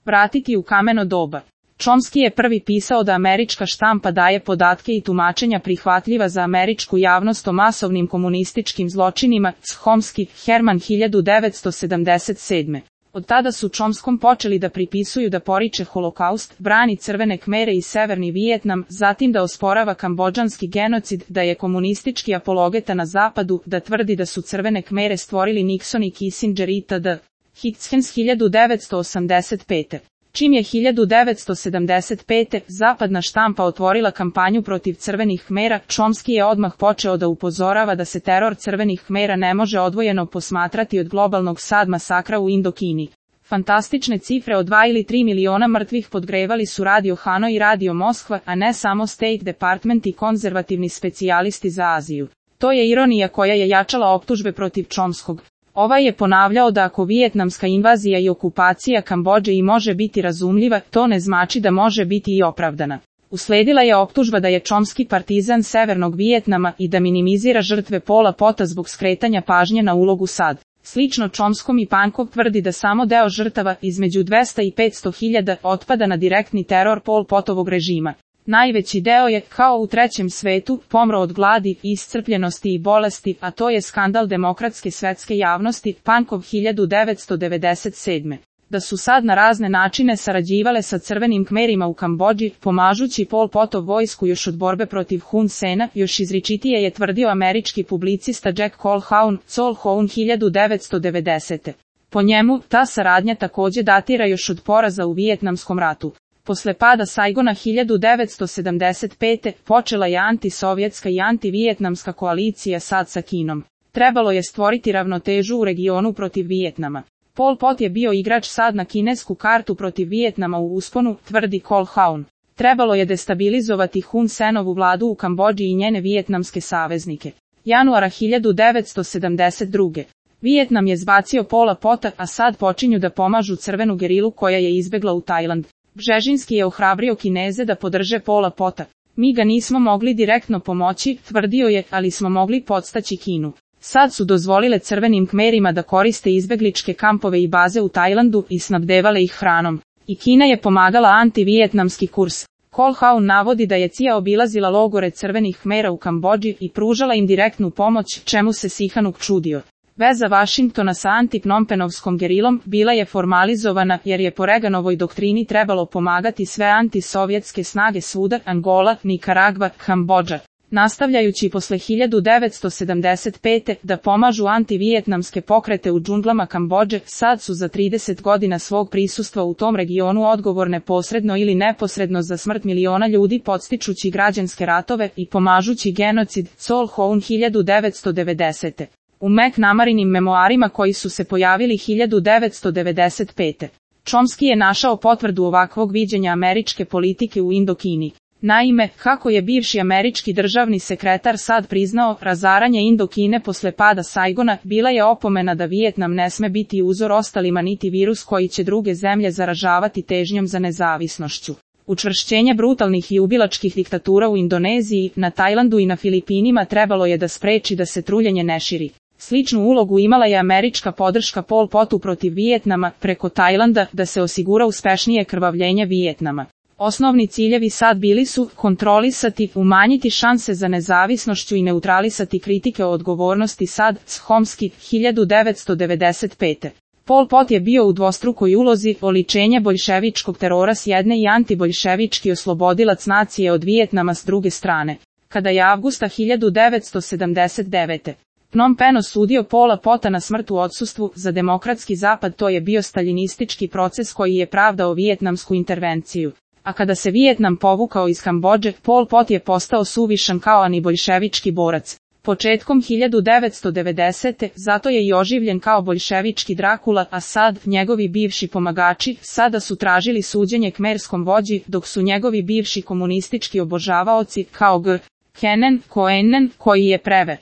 Vratiti u kameno doba. Chomsky je prvi pisao da američka štampa daje podatke i tumačenja prihvatljiva za američku javnost o masovnim komunističkim zločinima, Chomsky, Herman 1977. Od tada su Chomskom počeli da pripisuju da poriče holokaust, brani Crvene Kmere i Severni Vijetnam, zatim da osporava kambodžanski genocid, da je komunistički apologeta na zapadu, da tvrdi da su Crvene Kmere stvorili Nixon i Kissinger itd. Higgins 1985. Čim je 1975. zapadna štampa otvorila kampanju protiv Crvenih Kmera, Chomsky je odmah počeo da upozorava da se teror Crvenih Kmera ne može odvojeno posmatrati od globalnog sad masakra u Indokini. Fantastične cifre od 2 ili 3 miliona mrtvih podgrevali su Radio Hanoi i Radio Moskva, a ne samo State Department i konzervativni specijalisti za Aziju. To je ironija koja je jačala optužbe protiv Chomskog. Ovaj je ponavljao da ako vijetnamska invazija i okupacija Kambodže i može biti razumljiva, to ne znači da može biti i opravdana. Usledila je optužba da je Chomsky partizan Severnog Vijetnama i da minimizira žrtve Pola Pota zbog skretanja pažnje na ulogu SAD. Slično Chomskom i Pankov tvrdi da samo deo žrtava, između 200 i 500 hiljada, otpada na direktni teror Pol Potovog režima. Najveći deo je, kao u trećem svetu, pomro od gladi, iscrpljenosti i bolesti, a to je skandal demokratske svetske javnosti, Pankov 1997. Da su sad na razne načine sarađivale sa Crvenim Kmerima u Kambodži, pomažući Pol Potov vojsku još od borbe protiv Hun Sena, još izričitije je tvrdio američki publicista Jack Colquhoun, 1990. Po njemu, ta saradnja takođe datira još od poraza u Vijetnamskom ratu. Posle pada Saigona 1975. počela je antisovjetska i antivijetnamska koalicija SAD sa Kinom. Trebalo je stvoriti ravnotežu u regionu protiv Vijetnama. Pol Pot je bio igrač SAD na kinesku kartu protiv Vijetnama u usponu, tvrdi Colquhoun. Trebalo je destabilizovati Hun Senovu vladu u Kambodži i njene vijetnamske saveznike. Januara 1972. Vijetnam je zbacio Pola Pota, a SAD počinju da pomažu crvenu gerilu koja je izbegla u Tajland. Bžežinski je ohrabrio Kineze da podrže Pola Pota. Mi ga nismo mogli direktno pomoći, tvrdio je, ali smo mogli podstaći Kinu. Sad su dozvolile Crvenim Kmerima da koriste izbegličke kampove i baze u Tajlandu i snabdevale ih hranom. I Kina je pomagala antivijetnamski kurs. Colquhoun navodi da je CIA obilazila logore Crvenih Kmera u Kambodži i pružala im direktnu pomoć, čemu se Sihanouk čudio. Veza Vašingtona sa antipnompenovskom gerilom bila je formalizovana jer je po Reaganovoj doktrini trebalo pomagati sve antisovjetske snage svuda, Angola, Nikaragva, Kambodža. Nastavljajući posle 1975. da pomažu antivijetnamske pokrete u džunglama Kambodže, sad su za 30 godina svog prisustva u tom regionu odgovorne posredno ili neposredno za smrt miliona ljudi podstičući građanske ratove i pomažući genocid, Colquhoun 1990. U McNamarinim memoarima koji su se pojavili 1995. Chomsky je našao potvrdu ovakvog viđenja američke politike u Indokini. Naime, kako je bivši američki državni sekretar SAD priznao, razaranje Indokine posle pada Saigona bila je opomena da Vijetnam ne sme biti uzor ostalima niti virus koji će druge zemlje zaražavati težnjom za nezavisnošću. Učvršćenje brutalnih i ubilačkih diktatura u Indoneziji, na Tajlandu i na Filipinima trebalo je da spreči da se truljenje ne širi. Sličnu ulogu imala je američka podrška Pol Potu protiv Vijetnama preko Tajlanda da se osigura uspešnije krvavljenje Vijetnama. Osnovni ciljevi SAD bili su kontrolisati, umanjiti šanse za nezavisnošću i neutralisati kritike o odgovornosti SAD, Chomsky, 1995. Pol Pot je bio u dvostrukoj ulozi, oličenje boljševičkog terora s jedne i antiboljševički oslobodilac nacije od Vijetnama s druge strane. Kada je avgusta 1979. Phnom Penh osudio Pola Pota na smrt u odsustvu, za demokratski zapad to je bio staljinistički proces koji je pravdao vijetnamsku intervenciju. A kada se Vijetnam povukao iz Kambodže, Pol Pot je postao suvišan kao antiboljševički borac. Početkom 1990. zato je i oživljen kao boljševički Drakula, a SAD, njegovi bivši pomagači, sada su tražili suđenje kmerskom vođi, dok su njegovi bivši komunistički obožavaoci, kao G. Kennen, Koenen, koji je preve.